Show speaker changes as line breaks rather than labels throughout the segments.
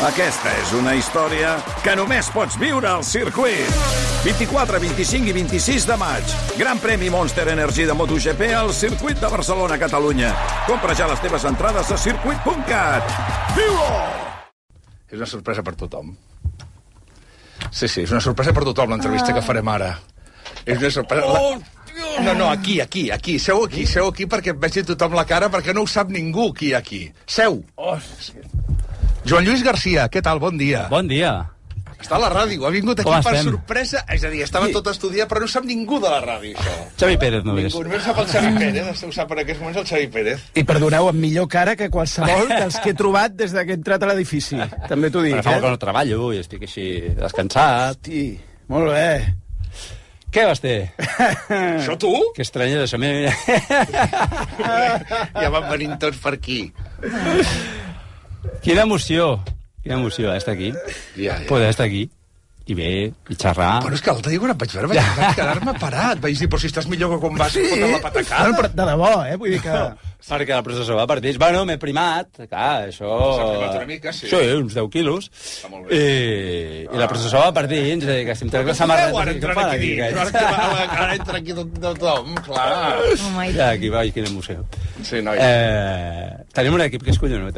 Aquesta és una història que només pots viure al circuit. 24, 25 i 26 de maig. Gran premi Monster Energy de MotoGP al circuit de Barcelona, Catalunya. Compra ja les teves entrades a circuit.cat. Viu-ho!
És una sorpresa per tothom. Sí, és una sorpresa per tothom, l'entrevista que farem ara. És una sorpresa... No, aquí. Seu aquí, perquè vegi tothom la cara, perquè no ho sap ningú qui hi ha aquí. Seu! Joan Lluís Garcia, què tal? Bon dia.
Bon dia.
Està a la ràdio, ha vingut aquí per sorpresa. És a dir, estava tot estudiat, però no sap ningú de la ràdio, això.
Xavi Pérez, només.
Ningú, només sap el Xavi Pérez, ho sap en aquests moments el Xavi Pérez.
I perdoneu, amb millor cara que qualsevol dels que he trobat des que he entrat a l'edifici. També t'ho dic,
Fa molt que no treballo i estic així descansat.
Hosti, molt bé.
Què vas fer?
Això tu?
Que estrany és això. Mira.
Ja van venint tots per aquí.
Quina emoció, estar aquí. Poder estar aquí. I bé, i xerrar.
Però és que l'altre dia quan et vaig veure vaig quedar-me parat. Vaig dir, però si estàs millor que quan vas fotre la patacada.
Bueno, però de debò, vull dir que...
Perquè el professor va partits. Bueno, m'he primat. Clar, això...
S'ha primat una mica, sí.
Sí, uns 10 quilos. I la processó va partits. És a dir, que si em trec la samarreta...
Ara entra aquí tothom, clar.
Ja, aquí va, quina emoció.
Sí, noi.
Tenim un equip que és collonut,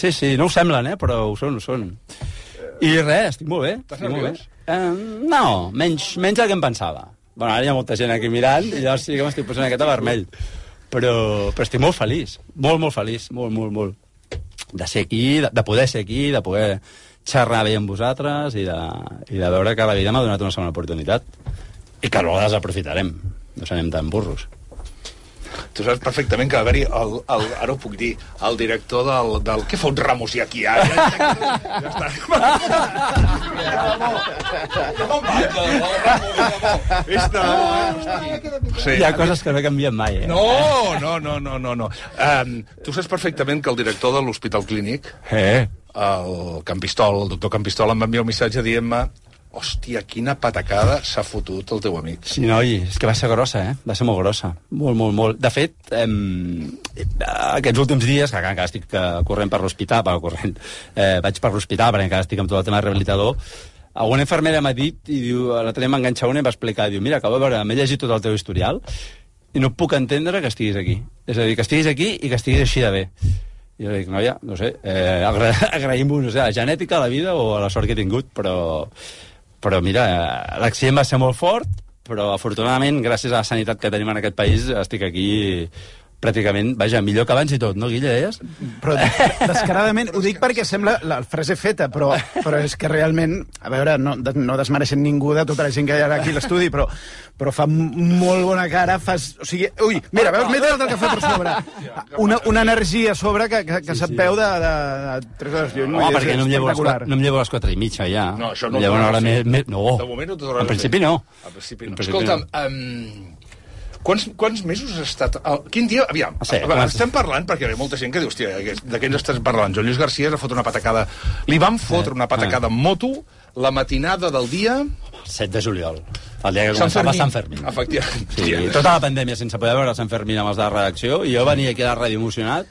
Sí, no ho semblen, però ho són. I res, estic molt bé.
Estàs nerviós?
No, menys del que em pensava. Bueno, ara hi ha molta gent aquí mirant i llavors sí que m'estic posant aquest vermell. Però estic molt feliç. Molt feliç. Molt. De ser aquí, de poder ser aquí, de poder xerrar bé amb vosaltres i de veure que la vida m'ha donat una segona oportunitat. I que no la desaprofitarem. No serem tan burros.
Tu saps perfectament que va haver-hi, ara ho puc dir, el director del... Què fot Ramos i aquí, ara? Ja està.
Hi ha coses que no canvien mai,
No. Tu saps perfectament que el director de l'Hospital Clínic, el Campistol, el doctor Campistol, em va enviar un missatge dient-me: hòstia, quina patacada s'ha fotut el teu amic.
Sí, noi, és que va ser grossa, Va ser molt grossa. Molt. De fet, aquests últims dies, que encara estic corrent per l'hospital, vaig per l'hospital, perquè encara estic amb tot el tema rehabilitador, alguna infermera m'ha dit, i diu, l'altre dia m'enganxa una i em va explicar, diu, mira, acabo de veure, m'he llegit tot el teu historial i no puc entendre que estiguis aquí. És a dir, que estiguis aquí i que estiguis així de bé. I jo dic, noia, no sé, agraïm-vos, no sé, a la genètica, a la vida o a la sort que he tingut, però mira, l'accident va ser molt fort, però afortunadament, gràcies a la sanitat que tenim en aquest país, estic aquí pràcticament, vaja, millor que abans i tot, no, Guilla, deies?
Però descaradament, ho dic perquè sembla la frase feta, però és que realment, a veure, no desmereixen ningú de tota la gent que hi ha aquí a l'estudi, però fa molt bona cara, o sigui, ui, mira, veus, m'he el cafè per sobre. Una energia a sobre que se't veu de 3 hores lluny.
Home, perquè no em llevo a les 4:30, ja.
No, això no.
Em llevo una hora més. No,
de moment no t'ho dones.
En principi no.
Escolta'm, quants mesos has estat... Quin dia... Aviam, estem parlant, perquè hi ha molta gent que diu, hòstia, de què ens estàs parlant? Joan Lluís Garcia es va fotre una patacada... Li van fotre una patacada en moto la matinada del dia...
7 de juliol. El dia que començava Sant Fermín.
Efectivament.
Sí, tota la pandèmia sense poder veure Sant Fermín amb els de la redacció, i jo venia aquí a la ràdio emocionat,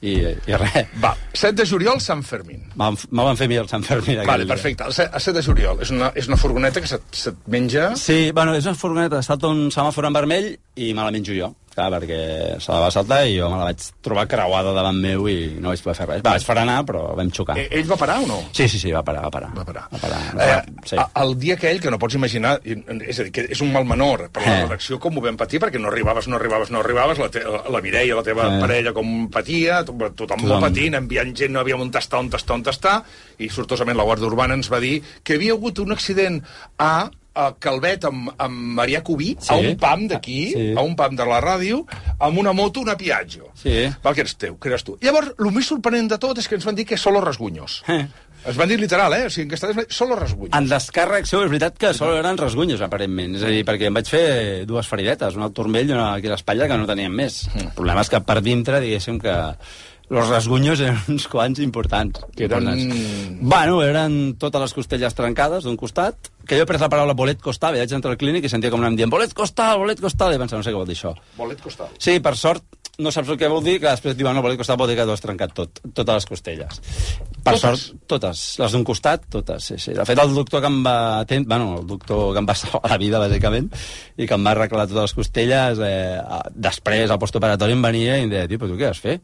i res.
Va, 7 de juliol, Sant Fermín.
Me van fer mi el Sant Fermín.
Vale, perfecte. El 7 de juliol. És una furgoneta que se't menja...
Sí, bueno, és una furgoneta, salta un semàfor en vermell i me la menjo jo. Clar, perquè se la va saltar i jo me la vaig trobar creuada davant meu i no vaig poder fer res. Vaig frenar, però vam xocar.
Ell va parar o no?
Sí, va parar.
Sí. El dia aquell, que no pots imaginar, és a dir, que és un mal menor per la redacció, com ho vam patir, perquè no arribaves, la Mireia, la teva parella, com patia, tothom molt patint, enviant gent, no havíem on tastar, i sortosament la Guàrdia Urbana ens va dir que havia hagut un accident a Calvet amb Marià Cubí, a un pam d'aquí, a un pam de la ràdio, amb una moto, una Piaggio. Val, que eres tu. Llavors, el més sorprenent de tot és que ens van dir que solo rasgunyos. Es van dir literal, o sigui, que estàs solo rasgunyos.
En descàrrec seu és veritat que solo eren rasgunyos, aparentment. És a dir, perquè em vaig fer 2 feridetes, una al turmell i una aquí a l'espatlla, que no teníem més. El problema és que per dintre, diguéssim que los rasgunyos eren uns quants importants. Bueno, eren totes les costelles trencades d'un costat, que jo he pres la paraula bolet costal, vaig entrar al clínic i sentia com anàvem dient bolet costal, i pensava, no sé què vol dir això.
Bolet costal?
Sí, per sort, no saps el que vol dir, que després et diuen, no, bolet costal vol dir que t'ho has trencat totes les costelles. Per sort, totes. Les d'un costat, totes, sí. De fet, el doctor que em va el doctor que em va salvar la vida, bàsicament, i que em va arreglar totes les costelles, després, al postoperatori, em venia i em deia, tio, però tu què vas fer?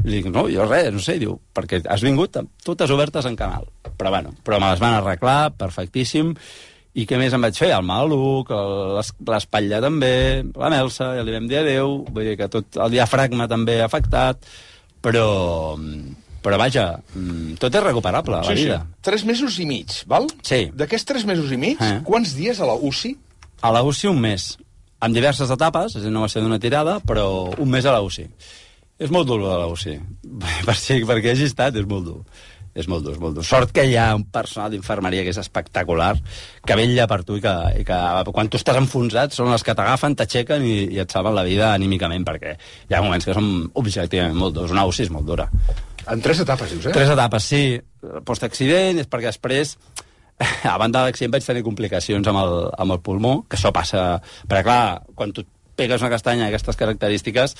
I dic, no, jo res, no sé, diu, perquè has vingut totes obertes en canal. Però me les van arreglar, perfectíssim. I què més em vaig fer? El maluc, l'espatlla també, la melsa, ja li vam dir adéu, vull dir que tot el diafragma també afectat, però vaja, tot és recuperable, la vida.
3 mesos i mig, val?
Sí.
D'aquests 3 mesos i mig, quants dies a la UCI?
A la UCI un mes, amb diverses etapes, no va ser d'una tirada, però un mes a la UCI. És molt dur, a la UCI. Perquè hagi estat, és molt dur. És molt dur. Sort que hi ha un personal d'infermeria que és espectacular, que vetlla per tu i que quan tu estàs enfonsat són els que t'agafen, t'aixequen i et salven la vida anímicament, perquè hi ha moments que són objectivament molt durs. Una UCI és molt dura.
En 3 etapes, dius,
3 etapes, sí. Post-accident és perquè després, a banda de l'accident, vaig tenir complicacions amb el pulmó, que això passa... Perquè, clar, quan tu pegues una castanya d'aquestes característiques,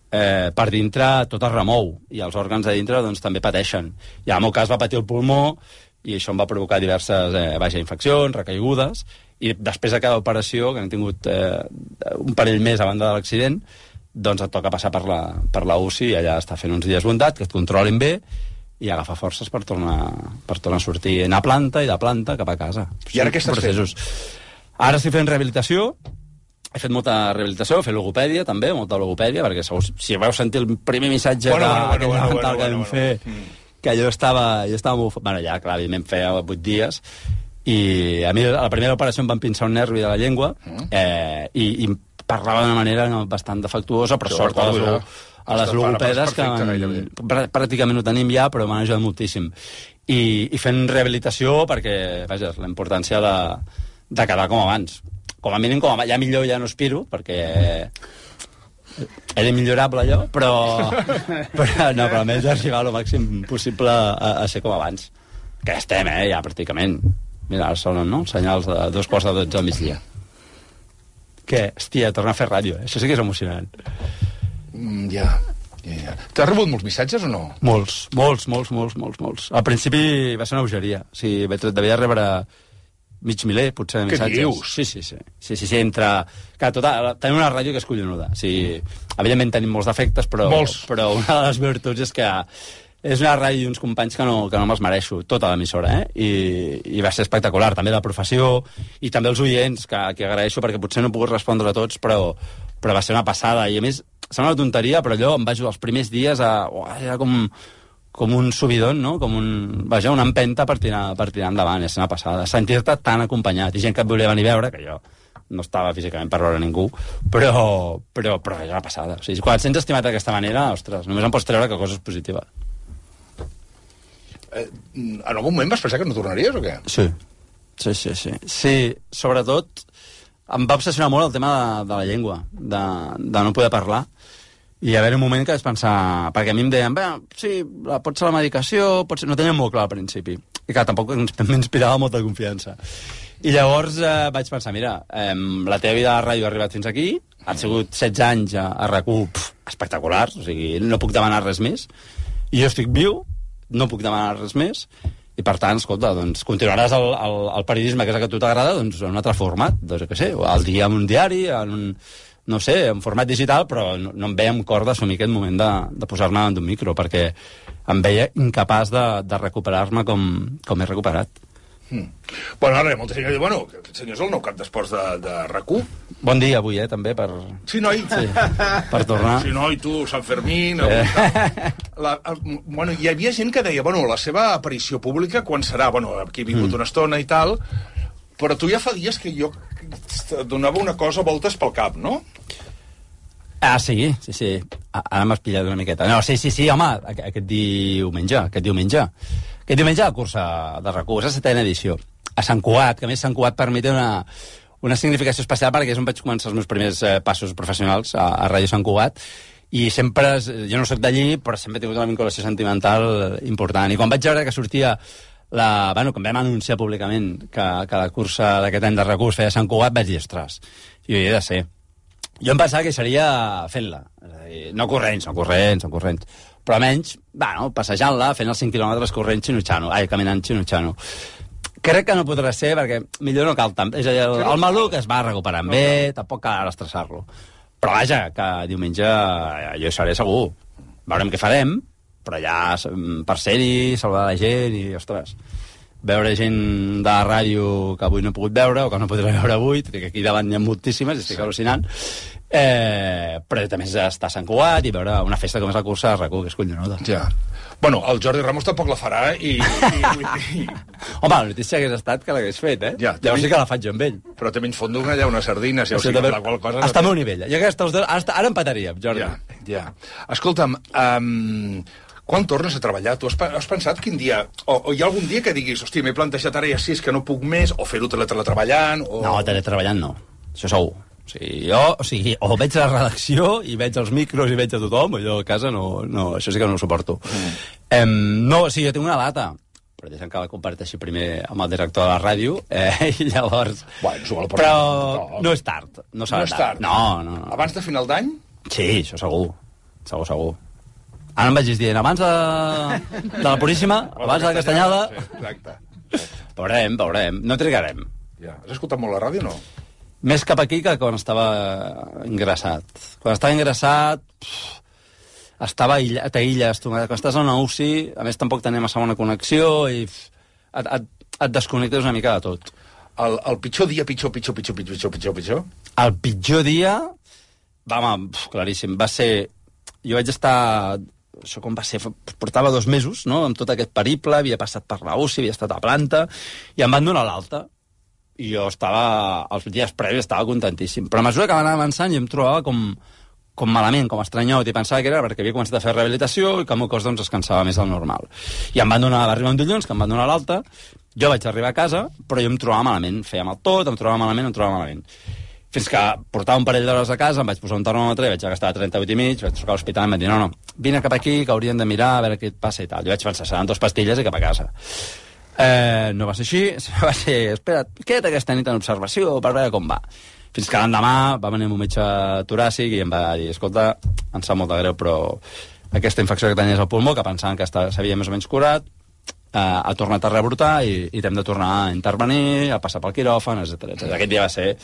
per dintre tot es remou i els òrgans de dintre doncs, també pateixen. I en el meu cas va patir el pulmó i això em va provocar diverses infeccions, recaigudes, i després de cada operació, que hem tingut un parell més a banda de l'accident, doncs et toca passar per la UCI i allà està fent uns dies bondat, que et controlin bé i agafar forces per tornar a sortir, anar a planta i de planta cap a casa.
I ara què estàs fent?
Ara estic fent rehabilitació. He fet molta rehabilitació, he fet logopèdia també, molta logopèdia, perquè si vau sentir el primer missatge que vam fer, que jo estava molt... Bueno, ja, clar, evidentment feia 8 dies, i a mi a la primera operació em van pinçar un nervi de la llengua, i parlava d'una manera bastant defectuosa, però sort a les logopedes, que pràcticament ho tenim ja, però m'han ajudat moltíssim. I fent rehabilitació perquè, vaja, la importància de quedar com abans. Com a mínim, ja millor ja no aspiro, perquè era millorable allò, però almenys arribar al màxim possible a ser com abans. Que ja estem, ja pràcticament. Mira, ara sonen, no?, senyals de 2:45 al migdia. Què? Hòstia, tornar a fer ràdio, això sí que és emocionant.
Ja. T'has rebut molts missatges o no?
Molts. Al principi va ser una bogeria. O sigui, devia rebre mig miler, potser, de missatges.
Què dius?
Sí, entre... Clar, tenim una ràdio que és collonuda. O sigui, evidentment tenim molts defectes, però una de les virtuts és que és una ràdio i uns companys que no me'ls mereixo, tota l'emissora, i va ser espectacular, també la professió, i també els oients, que agraeixo, perquè potser no he pogut respondre a tots, però va ser una passada, i a més, sembla una tonteria, però allò em va ajudar els primers dies era com un subidon, no? Com una empenta per tirar endavant, és una passada. Sentir-te tan acompanyat. I gent que et volia venir a veure, que jo no estava físicament per veure ningú, però és una passada. O sigui, quan et sents estimat d'aquesta manera, ostres, només em pots treure que cosa és positiva.
En algun moment vas pensar que no tornaries o què?
Sí. Sí, sobretot em va obsessionar molt el tema de la llengua, de no poder parlar. I a haver un moment que vaig pensar... Perquè a mi em deien, sí, pot ser la medicació, no tenia molt clar al principi. I clar, tampoc m'inspirava molta confiança. I llavors vaig pensar, mira, la teva vida a la ràdio ha arribat fins aquí, han sigut 16 anys a RAC1 espectaculars, o sigui, no puc demanar res més, i jo estic viu, no puc demanar res més, i per tant, escolta, doncs continuaràs el periodisme, que és el que a tu t'agrada, doncs en un altre format, doncs què sé, al dia en un diari, en un... no sé, en format digital, però no em veia amb cor d'assumir aquest moment de posar-me davant d'un micro, perquè em veia incapaç de recuperar-me com he recuperat.
Bueno, ara molta gent que diu, senyor, és el nou cap d'esports de RAC1.
Bon dia avui, també, per...
Sí, noi.
Sí, per tornar.
Sí, noi, tu, Sant Fermín... Hi havia gent que deia, la seva aparició pública, quan serà? Aquí he vingut una estona i tal... Però tu ja fa dies que jo donava una cosa voltes pel cap, no?
Sí. Ara m'has pillat una miqueta. No, sí, home, aquest diumenge. Aquest diumenge la cursa de RAC1, és la 7ª edició. A Sant Cugat, que a més Sant Cugat per mi té una significació especial perquè és on vaig començar els meus primers passos professionals a Ràdio Sant Cugat, i sempre, jo no soc d'allí, però sempre he tingut una vinculació sentimental important. I quan vaig veure que sortia quan vam anunciar públicament que la cursa d'aquest any de RAC1 es feia a Sant Cugat, vaig dir, ostres, jo hi he de ser. Jo em pensava que seria fent-la, no corrents, però menys, bueno, passejant-la, fent els 5 quilòmetres corrent caminant Chinutxano. Crec que no podrà ser, perquè millor no cal tant. És a dir, el maluc es va recuperant bé, tampoc cal ara estressar-lo. Però vaja, que diumenge jo hi seré segur. Veurem què farem, però ja per ser-hi, saludar la gent i, ostres, veure gent de la ràdio que avui no he pogut veure o que no podré veure avui, que aquí davant n'hi ha moltíssimes, estic al·lucinant, però també està a Sant Cugat i veure una festa com és la cursa de RAC1, que és collonuda.
Ja. Bueno, el Jordi Ramos tampoc la farà i...
Home, la notícia hagués estat que l'hagués fet, eh?
Ja,
llavors sí que la faig jo amb ell.
Però també ens fondo allà unes sardines, ja o sigui, la qual cosa...
Està al meu nivell. Jo crec que ara empataríem, Jordi.
Ja. Escolta'm, quan tornes a treballar? Tu has pensat quin dia... O hi ha algun dia que diguis, hòstia, m'he plantejat ara ja 6 que no puc més, o fer-ho teletreballant, o...
No, teletreballant no. Això segur. O veig la redacció i veig els micros i veig a tothom, jo a casa no, això sí que no ho suporto. No, o sigui, jo tinc una data, però deixa'm que la comparteixi primer amb el director de la ràdio, i llavors...
Bueno,
però no és tard. No és tard? No.
Abans de final d'any?
Sí, això segur. Segur. Ara em vaig dient, abans de la Puríssima, abans de la Castanyada...
Exacte.
Veurem. No trigarem.
Ja. Has escoltat molt la ràdio o no?
Més cap aquí que quan estava ingressat. Quan estava ingressat, estava t'aïlles. Quan estàs a una UCI, a més tampoc tenia massa bona connexió i et desconnectes una mica de tot.
El pitjor dia, pitjor?
El pitjor dia, claríssim, va ser... Jo vaig estar... Això com va ser? Portava 2 mesos, no?, amb tot aquest periple, havia passat per la UCI, havia estat a planta, i em van donar l'alta. I jo els dies previs estava contentíssim. Però a mesura que va anar avançant jo em trobava com malament, com estranyot, i pensava que era perquè havia començat a fer rehabilitació i que el meu cos doncs, es cansava més del normal. I va arribar un dilluns, que em van donar l'alta, jo vaig arribar a casa, però jo em trobava malament. Fèiem el tot, em trobava malament. Fins que portava un parell d'hores a casa, em vaig posar un termòmetre i vaig gastar 38,5, vaig trucar a l'hospital i em van dir, no, vine cap aquí, que haurien de mirar a veure què et passa i tal. Jo vaig pensar, seran 2 pastilles i cap a casa. No va ser així, va ser, espera't, queda't aquesta nit en observació per veure com va. Fins que l'endemà va venir el meu metge toràcic i em va dir, escolta, em sap molt de greu, però aquesta infecció que tenies al pulmó, que pensaven que s'havia més o menys curat, ha tornat a rebrotar i t'hem de tornar a intervenir, a passar pel quiròfan, etc. Aquest dia va ser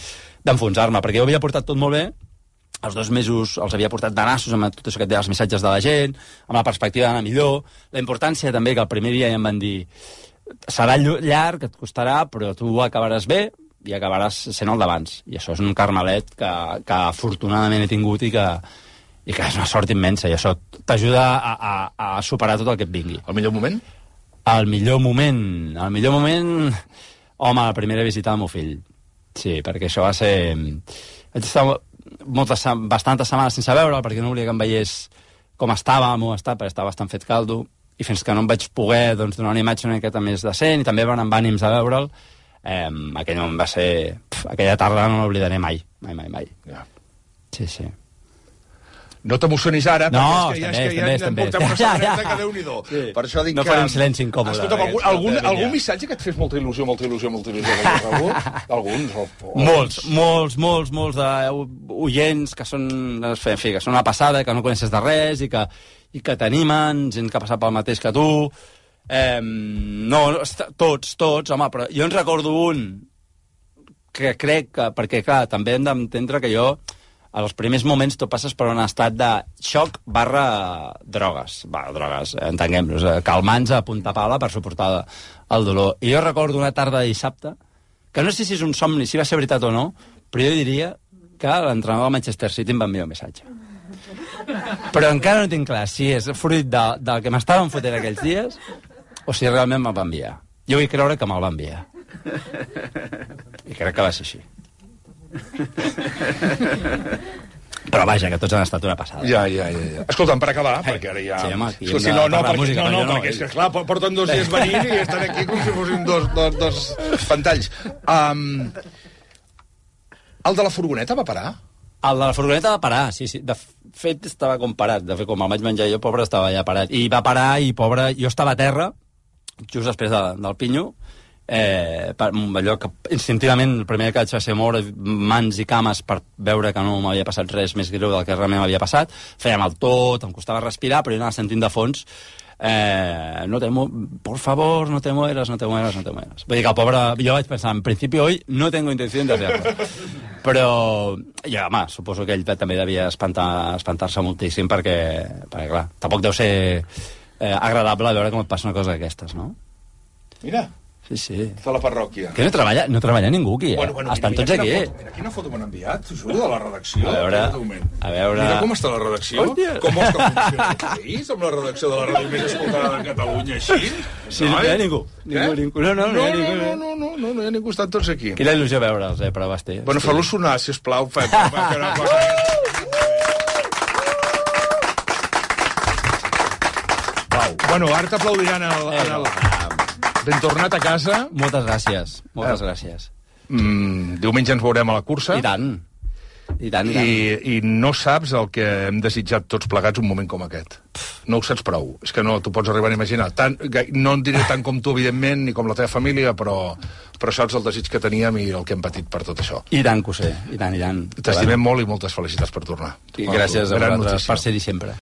d'enfonsar-me, perquè jo havia portat tot molt bé, els 2 mesos els havia portat de nassos amb tot això que et deia els missatges de la gent, amb la perspectiva d'anar millor, la importància també que el primer dia ja em van dir serà llarg, et costarà, però tu acabaràs bé i acabaràs sent el d'abans. I això és un carmelet que afortunadament he tingut i que és una sort immensa, i això t'ajuda a superar tot el que et vingui.
El millor moment?
El millor moment... Home, la primera visita al meu fill. Sí, perquè això va ser... Vaig estar bastantes setmanes sense veure'l, perquè no volia que em veiés com estava al meu estat, perquè estava bastant fet caldo, i fins que no em vaig poder donar una imatge una miqueta més decent, i també van amb ànims a veure'l, aquell moment va ser... aquella tarda no l'oblidaré mai.
Ja.
Sí.
No t'emocionis ara,
no,
perquè és que ja portem una setmaneta que Déu-n'hi-do.
Sí.
Per això dic
no
que...
faré un silenci incòmode.
Escolta'm, algun missatge que et fes molta il·lusió? Alguns?
Molts d'oients que són, en fi, que són una passada, que no coneixes de res i que t'animen, gent que ha passat pel mateix que tu. No, tots, home, però jo en recordo un que crec que, perquè clar, també hem d'entendre que jo als primers moments tu passes per un estat de xoc / drogues, entenguem-nos, calmants a punta pala per suportar el dolor. I jo recordo una tarda de dissabte, que no sé si és un somni, si va ser veritat o no, però jo diria que l'entrenador del Manchester City em va enviar un missatge. Però encara no tinc clar si és fruit del que m'estaven fotent aquells dies o si realment me'l va enviar. Jo vull creure que me'l va enviar. I crec que va ser així. Però vaja, que tots han estat una passada.
Ja. Escolta'm, per acabar, perquè ara ja...
Sí, home, aquí hem
perquè és que, clar, porten 2 dies venint i estan aquí com si fossin dos pantalls. El de la furgoneta va parar?
El de la furgoneta va parar, sí. De fet, estava com parat. De fet, com el vaig menjar jo, pobre, estava ja parat. I va parar i, pobre, jo estava a terra, just després del pinyo, allò que instintivament el primer que vaig fer ser moure mans i cames per veure que no m'havia passat res més greu del que realment m'havia passat. Feia mal tot, em costava respirar, però jo anava sentint de fons por favor, no te mueras. Vull dir que el pobre, jo vaig pensar, en principi hoy no tengo intención de hacerlo. Però, ja, home, suposo que ell també devia espantar-se moltíssim perquè clar, tampoc deu ser agradable veure com et passa una cosa d'aquestes, no?
Mira.
Sí.
Està a la parròquia.
Que no treballa ningú aquí, Estan tots aquí.
Mira quina foto m'han enviat, t'ho juro, de la redacció.
A veure...
Mira com està la redacció.
Hòstia.
Com vols que funcioni el país, amb la redacció de la ràdio més escoltada de Catalunya, així?
Sí, no hi ha ningú. No hi ha ningú.
No hi ha ningú, estan tots aquí.
Quina il·lusió veure'ls, però Basté.
Bueno, fa-lo sonar, sisplau. Bueno, ara t'aplaudiran ben tornat a casa.
Moltes gràcies.
Diumenge ens veurem a la cursa.
I tant.
I no saps el que hem desitjat tots plegats un moment com aquest. No ho saps prou. És que no t'ho pots arribar a imaginar. No en diré tant com tu, evidentment, ni com la teva família, però saps el desig que teníem i el que hem patit per tot això.
I tant que ho sé. I tant.
T'estimem molt i moltes felicitats per tornar.
I gràcies a vosaltres per ser-hi sempre.